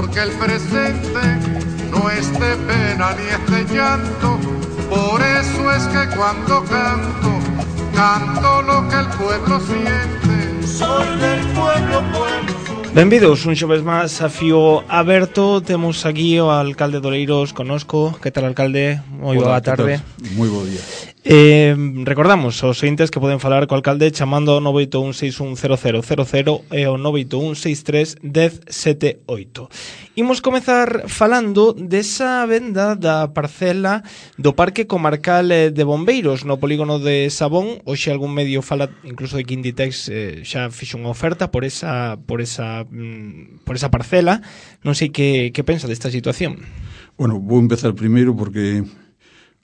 porque el presente no es de pena ni es de llanto. Por eso es que cuando canto, canto lo que el pueblo siente. Soy del pueblo, pueblo. Benvidos un xoves máis a Fío Aberto. Temos aquí o alcalde de Oleiros conosco. Que tal, alcalde? Moi boa tarde. Moi bo día. Recordamos aos ointes que poden falar co alcalde chamando ao 981610000 e ao 981631078. Imos comezar falando desa venda da parcela do Parque Comarcal de Bombeiros no polígono de Sabón. Hoxe algún medio fala incluso de que Inditex xa fixo unha oferta por esa parcela. Non sei que pensa desta situación. Bueno, vou empezar primeiro porque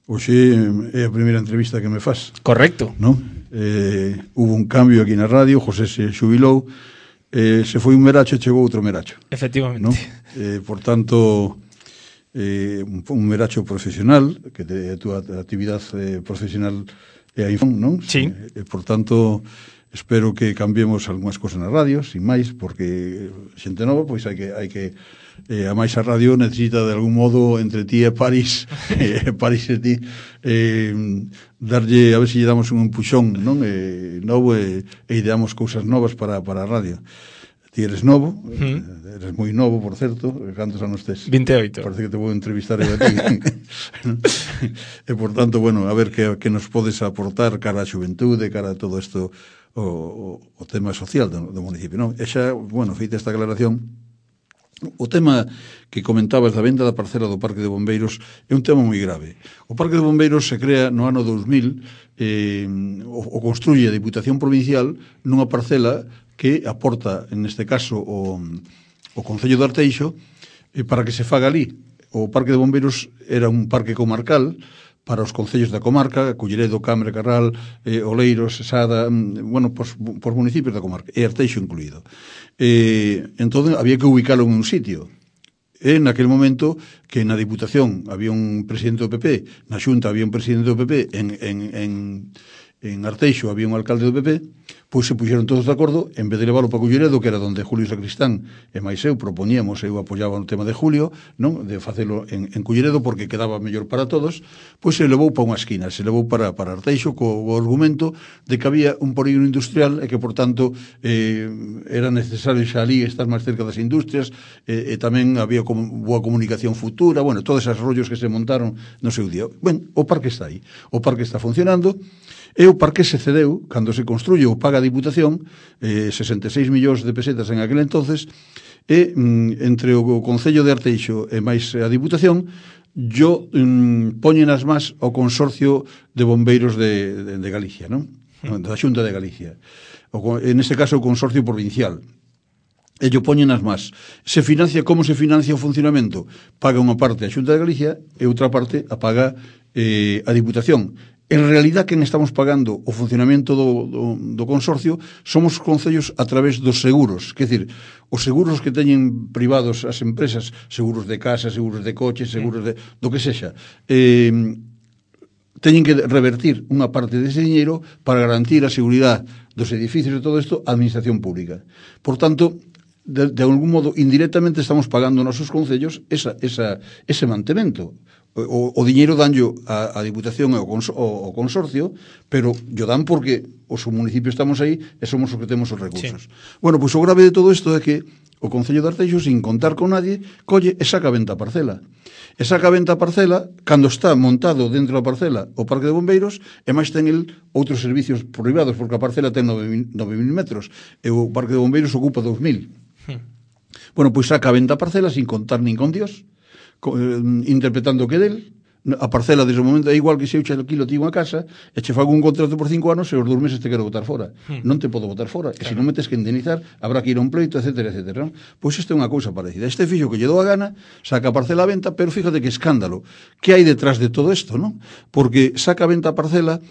hoxe é a primeira entrevista que me faz. Correcto. ¿No? Hubo un cambio aquí na radio, José se xubilou, se foi un meracho e chegou outro meracho. Efectivamente. ¿No? Por tanto, un meracho profesional, que a túa actividade profesional é a Infón, non? Sí. Por tanto, espero que cambiemos algunhas cosas na radio, sin máis, porque xente nova, pois hai que a máis a radio necesita de algún modo entre ti e París París e ti darlle, a ver se lle damos un empuxón, non? Novo e ideamos cousas novas para a radio. Ti eres novo, eres moi novo, por certo. Cantos anos tes? 28. Parece que te vou entrevistar eu a ti. E por tanto, bueno, a ver que nos podes aportar cara a xuventude, cara a todo isto, o tema social do municipio, non? E xa, bueno, feita esta aclaración, o tema que comentabas da venda da parcela do Parque de Bombeiros é un tema moi grave. O Parque de Bombeiros se crea no ano 2000, o construye a Diputación Provincial nunha parcela que aporta, neste caso, o Concello de Arteixo, para que se faga ali. O Parque de Bombeiros era un parque comarcal para os concellos da comarca, Culleredo, Cambre, Carral, Oleiros, Sada, bueno, por municipios da comarca, e Arteixo incluído. Entón, había que ubicalo en un sitio. E naquele momento que na Diputación había un presidente do PP, na Xunta había un presidente do PP, en Arteixo había un alcalde do PP, pois se puxeron todos de acordo, en vez de leválo para Culleredo, que era donde Julio Sacristán e máis eu proponíamos, eu apoiaba o tema de Julio, non, de facelo en Culleredo porque quedaba mellor para todos, pois se levou para unha esquina, se levou para Arteixo co argumento de que había un polígono industrial e que, por tanto, era necesario xa ali estar máis cerca das industrias, e tamén había boa comunicación futura, bueno, todos esos rollos que se montaron no seu día. Ben, o parque está aí, o parque está funcionando. E o parque se cedeu, cando se construye o paga a Diputación, 66 millóns de pesetas en aquel entonces, e entre o Concello de Arteixo e máis a Diputación, poñen as más ao Consorcio de Bombeiros de Galicia, non? Da Xunta de Galicia. En este caso, o Consorcio Provincial. Ello poñen as más. Se financia, como se financia o funcionamento? Paga unha parte a Xunta de Galicia e outra parte a paga a Diputación. En realidad, quen estamos pagando o funcionamento do consorcio somos os concellos a través dos seguros. Quer dizer, os seguros que teñen privados as empresas, seguros de casa, seguros de coches, seguros do que sexa, teñen que revertir unha parte dese diñeiro para garantir a seguridade dos edificios e todo isto á administración pública. Por tanto, de algún modo, indirectamente estamos pagando nosos concellos ese mantemento. O diñeiro danllo a Diputación e o Consorcio, pero yo dan porque os municipios estamos aí e somos os que temos os recursos. Sí. Bueno, pois o grave de todo isto é que o Concello de Arteixo, sin contar con nadie, colle e saca a venta a parcela. E saca a venta a parcela cando está montado dentro da parcela o Parque de Bombeiros, e máis ten el outros servicios privados, porque a parcela ten 9.000 metros e o Parque de Bombeiros ocupa 2.000. Bueno, pois saca a venta a parcela sin contar nin con Dios, interpretando que del a parcela desde o momento é igual que se eu che alquilo ti unha casa e che fago un contrato por 5 anos e os 2 meses te quero botar fora. Non te podo botar fora, e se non me tes que indemnizar habrá que ir a un pleito, etcétera, etcétera, non? Pois isto é unha cousa parecida. Este fixo que lle dou a gana, saca a parcela a venta, pero fíjate que escándalo que hai detrás de todo isto, non? Porque saca a venta a parcela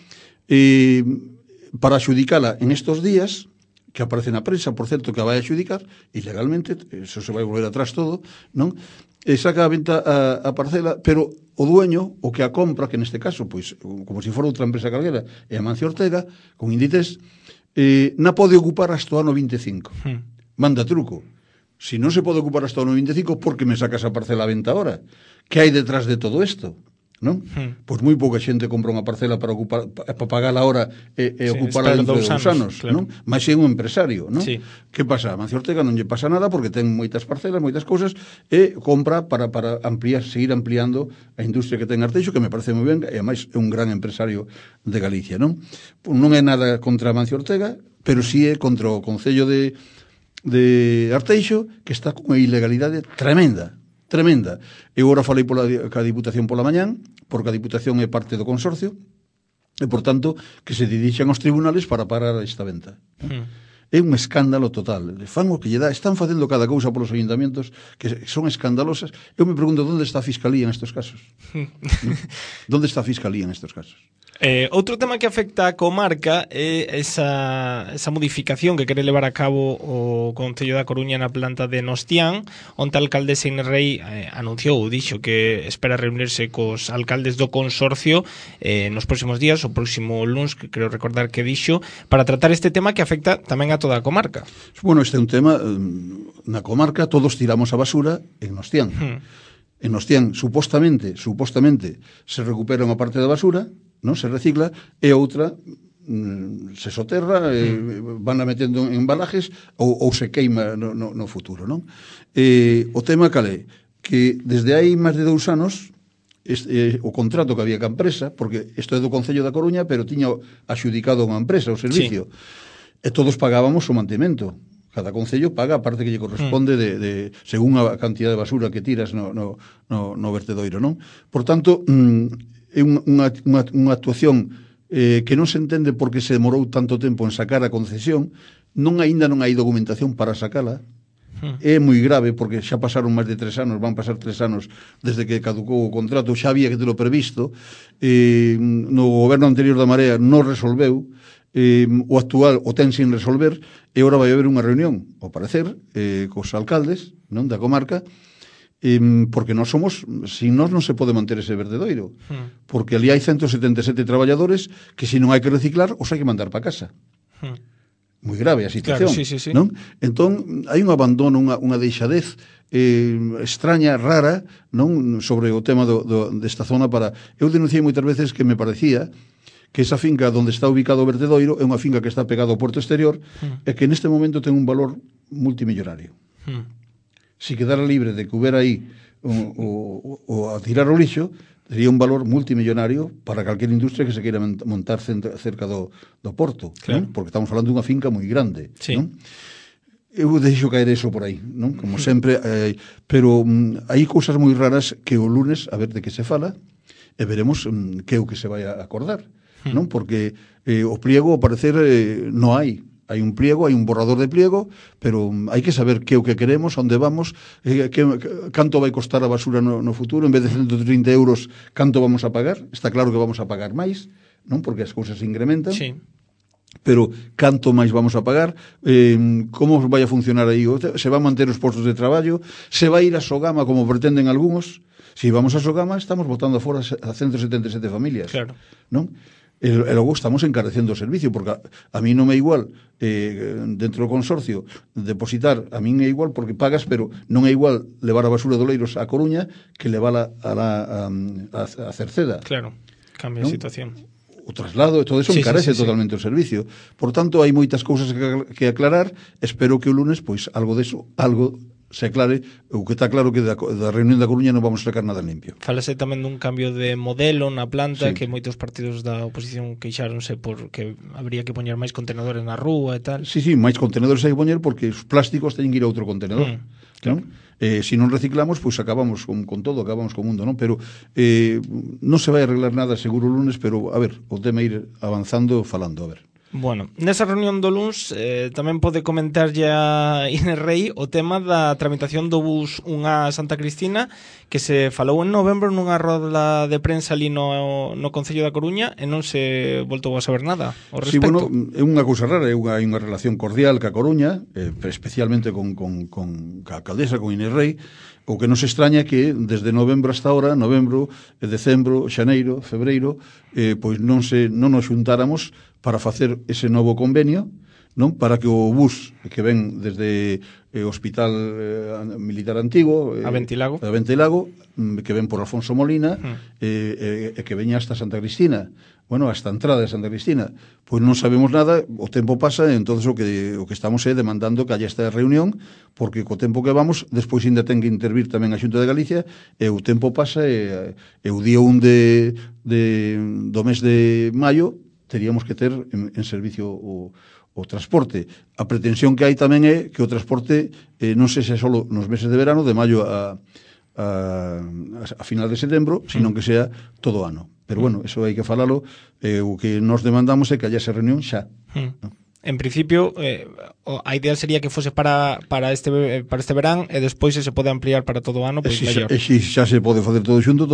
para axudicala en estos días, que aparece na prensa, por certo, que a vai axudicar ilegalmente, eso se vai volver atrás todo, non? E saca a venta a parcela, pero o dueño, o que a compra, que neste caso, pois, como se fora outra empresa calquera, é a Mancio Ortega, con Inditex, na pode ocupar hasta o ano 25. Manda truco. Si non se pode ocupar hasta o 95, por que me sacas a parcela a venta ahora? Que hai detrás de todo isto? Non? Pois moi pouca xente compra unha parcela para ocupar, para pagala ahora e ocupala dentro de 2 anos, claro. Non? Mas é un empresario, non? Sí. Que pasa? A Mancio Ortega non lle pasa nada porque ten moitas parcelas, moitas cousas e compra para ampliar, seguir ampliando a industria que ten Arteixo, que me parece moi ben, e ademais é un gran empresario de Galicia, non? Non é nada contra Mancio Ortega, pero sí é contra o Concello de Arteixo, que está con unha ilegalidade tremenda. Eu agora falei ca Diputación pola mañán, porque a Diputación é parte do consorcio, e, por tanto, que se dirixan aos tribunales para parar esta venta. É un escándalo total. Fan o que lle dá. Están facendo cada cousa polos ayuntamientos que son escandalosas. Eu me pregunto, onde está a Fiscalía en estos casos? Onde está a Fiscalía en estos casos? Outro tema que afecta a comarca é esa modificación que quere levar a cabo o Concello da Coruña na planta de Nostián, onde a alcaldesa Inés Rei anunciou, dixo que espera reunirse cos alcaldes do consorcio nos próximos días, o próximo luns, que creo recordar que dixo, para tratar este tema que afecta tamén a toda a comarca. Bueno, este é un tema na comarca, todos tiramos a basura en Nostián. En Nostián, supostamente, se recupera unha parte da basura, non se recicla, e outra se soterra, van a metendo en embalajes ou se queima no futuro, non? O tema cal é? Que desde hai máis de 2 anos o contrato que había ca empresa, porque isto é do Concello da Coruña, pero tiña axudicado unha empresa o servicio, e todos pagábamos o mantemento. Cada concello paga a parte que lle corresponde de según a cantidad de basura que tiras no vertedoiro, non? Por tanto, é unha actuación que non se entende por que se demorou tanto tempo en sacar a concesión, aínda non hai documentación para sacala. É moi grave porque xa pasaron máis de 3 anos, van pasar 3 anos desde que caducou o contrato, xa había que telo previsto, no goberno anterior da Marea non resolveu, o actual o ten sin resolver, e agora vai haber unha reunión, ao parecer, cos alcaldes, non, da comarca, porque nós somos, sin nós non se pode manter ese vertedoiro, porque ali hai 177 traballadores que se non hai que reciclar, os hai que mandar para casa. Moi grave a situación, claro, sí. Non? Entón, hai un abandono, unha deixadez extraña, rara, non, sobre o tema desta zona. Eu denunciei moitas veces que me parecía que esa finca onde está ubicado o vertedoiro é unha finca que está pegada ao porto exterior e que neste momento ten un valor multimillonario. Se quedara libre de que hubiera aí o a tirar o lixo, tería un valor multimillonario para calquera industria que se queira montar cerca do porto, claro. Non? Porque estamos falando dunha finca moi grande, sí. Non? Eu deixo caer eso por aí, non? Como sempre, pero hai cousas moi raras que o lunes a ver de que se fala e veremos que é o que se vai a acordar, non? Porque o pliego, ao parecer, non hai. Hai un pliego, hai un borrador de pliego, pero hai que saber que é o que queremos, onde vamos, canto vai costar a basura no futuro, en vez de 130 euros, canto vamos a pagar. Está claro que vamos a pagar máis, non? Porque as cousas se incrementan. Sí. Pero canto máis vamos a pagar, como vai a funcionar aí, se van manter os postos de traballo, se vai ir a Sogama como pretenden algúns. Se vamos a Sogama, estamos botando fora a 177 familias, claro. Non? E logo estamos encarecendo o servicio, porque a mí non é igual dentro do consorcio depositar, a min é igual porque pagas, pero non é igual levar a basura de Oleiros a Coruña que levala a Cerceda. Claro, cambia a situación. O traslado e todo eso encarece totalmente o servicio. Por tanto, hai moitas cousas que aclarar. Espero que o lunes, pois, algo se aclare. O que está claro que da reunión da Coruña non vamos a sacar nada limpio. Falase tamén dun cambio de modelo na planta, que moitos partidos da oposición queixáronse porque habría que poñer máis contenedores na rúa e tal. Sí, máis contenedores hai que poñer porque os plásticos teñen que ir a outro contenedor. Claro. Non? Se non reciclamos, pois acabamos con todo, acabamos co mundo, non? Pero non se vai arreglar nada seguro o lunes, pero a ver, o tema ir avanzando, falando, a ver. Bueno, nesa reunión do luns tamén pode comentar a Inés Rei o tema da tramitación do bus 1A Santa Cristina, que se falou en novembro nunha roda de prensa ali no Concello da Coruña e non se voltou a saber nada ao respecto. Sí, bueno, é unha cousa rara, hai unha relación cordial ca Coruña, especialmente con a alcaldesa, con Inés Rei. O que nos extraña é que desde novembro hasta ahora, novembro, decembro, xaneiro, febreiro, pois non nos xuntáramos para facer ese novo convenio non? Para que o bus que ven desde o Hospital Militar Antigo a Ventilago, que ven por Alfonso Molina que veña hasta Santa Cristina, bueno, hasta a entrada de Santa Cristina, pois non sabemos nada, o tempo pasa, e entonces o que estamos demandando que haya esta reunión, porque co tempo que vamos, despois ainda ten que intervir tamén a Xunta de Galicia, e o tempo pasa, e o día 1 do mes de maio teríamos que ter en servicio o transporte. A pretensión que hai tamén é que o transporte non sexa só nos meses de verano, de maio a final de setembro, sino que sea todo o ano. Pero bueno, eso hai que falalo, o que nos demandamos é que haya esa reunión xa. En principio, a idea sería que fose para este verán e despois se pode ampliar para todo o ano, pois mellor. E se xa se pode facer todo xunto.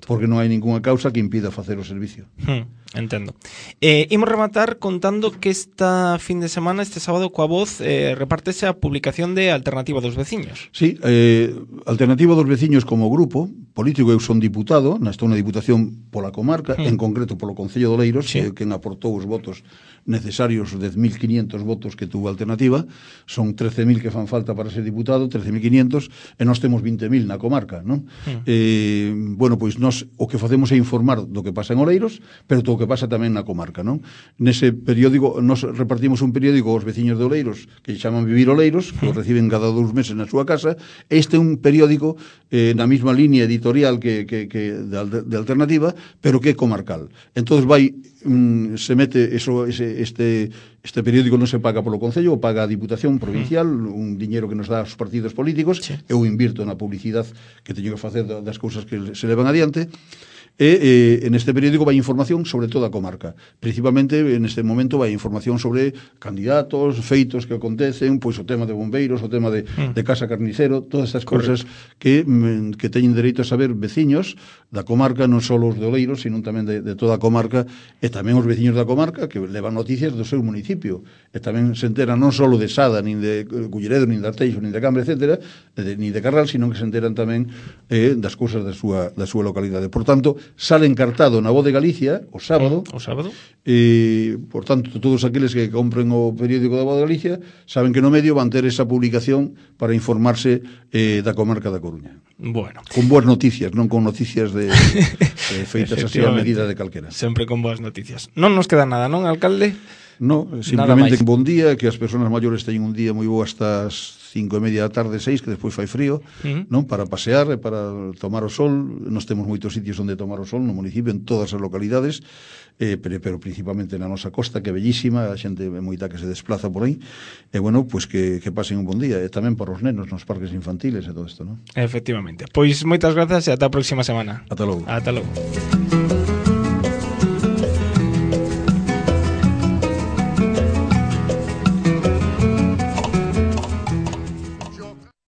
Porque non hai ninguna causa que impida facer o servicio. Entendo. Imos rematar contando que esta fin de semana, este sábado, coa Voz, repártese a publicación de Alternativa dos Veciños. Sí, Alternativa dos Veciños como grupo político, eu son diputado, estou na diputación pola comarca, en concreto polo Concello de Oleiros, que quen aportou os votos necesarios, 10.500 votos que tuvo Alternativa, son 13.000 que fan falta para ser diputado, 13.500, e nós temos 20.000 na comarca, non? Bueno, pois nós o que facemos é informar do que pasa en Oleiros, pero todo o que pasa tamén na comarca, non? Nese periódico, nós repartimos un periódico aos veciños de Oleiros, que chaman Vivir Oleiros, que o reciben cada 2 meses na súa casa. Este é un periódico na mesma línea editorial que de Alternativa, pero que é comarcal. Entón se mete este periódico non se paga polo Concello, o paga a Diputación Provincial, un diñeiro que nos dá os partidos políticos, eu invirto na publicidade que teño que facer das cousas que se levan adiante. En este periódico vai información sobre toda a comarca. Principalmente, en este momento, vai información sobre candidatos, feitos que acontecen, pois o tema de bombeiros, o tema de Casa Carnicero, todas estas cousas que teñen dereito a saber veciños da comarca, non só os de Oleiros, sino tamén de toda a comarca, e tamén os veciños da comarca que levan noticias do seu municipio. E tamén se enteran non só de Sada, nin de Culleredo, nin de Arteixo, nin de Cambre, etc., nin de Carral, sino que se enteran tamén das cousas da súa localidade. Por tanto, sale encartado na Voz de Galicia o sábado. Por tanto, todos aqueles que compren o periódico da Voz de Galicia saben que no medio van ter esa publicación para informarse da comarca da Coruña. Bueno. Con boas noticias, non con noticias de feitas así a medida de calquera. Sempre con boas noticias. Non nos queda nada, non, alcalde? No, simplemente bon día, que as persoas maiores teñen un día moi bo hasta as 5:30 da tarde, 6, que despois fai frío, non? Para pasear e para tomar o sol. Nos temos moitos sitios onde tomar o sol no municipio, en todas as localidades, pero principalmente na nosa costa, que é bellísima, a xente moita que se desplaza por aí, e bueno, pois que pasen un bon día, e tamén para os nenos nos parques infantiles e todo isto, non? Efectivamente. Pois moitas grazas e ata a próxima semana. Ata logo. Ata logo.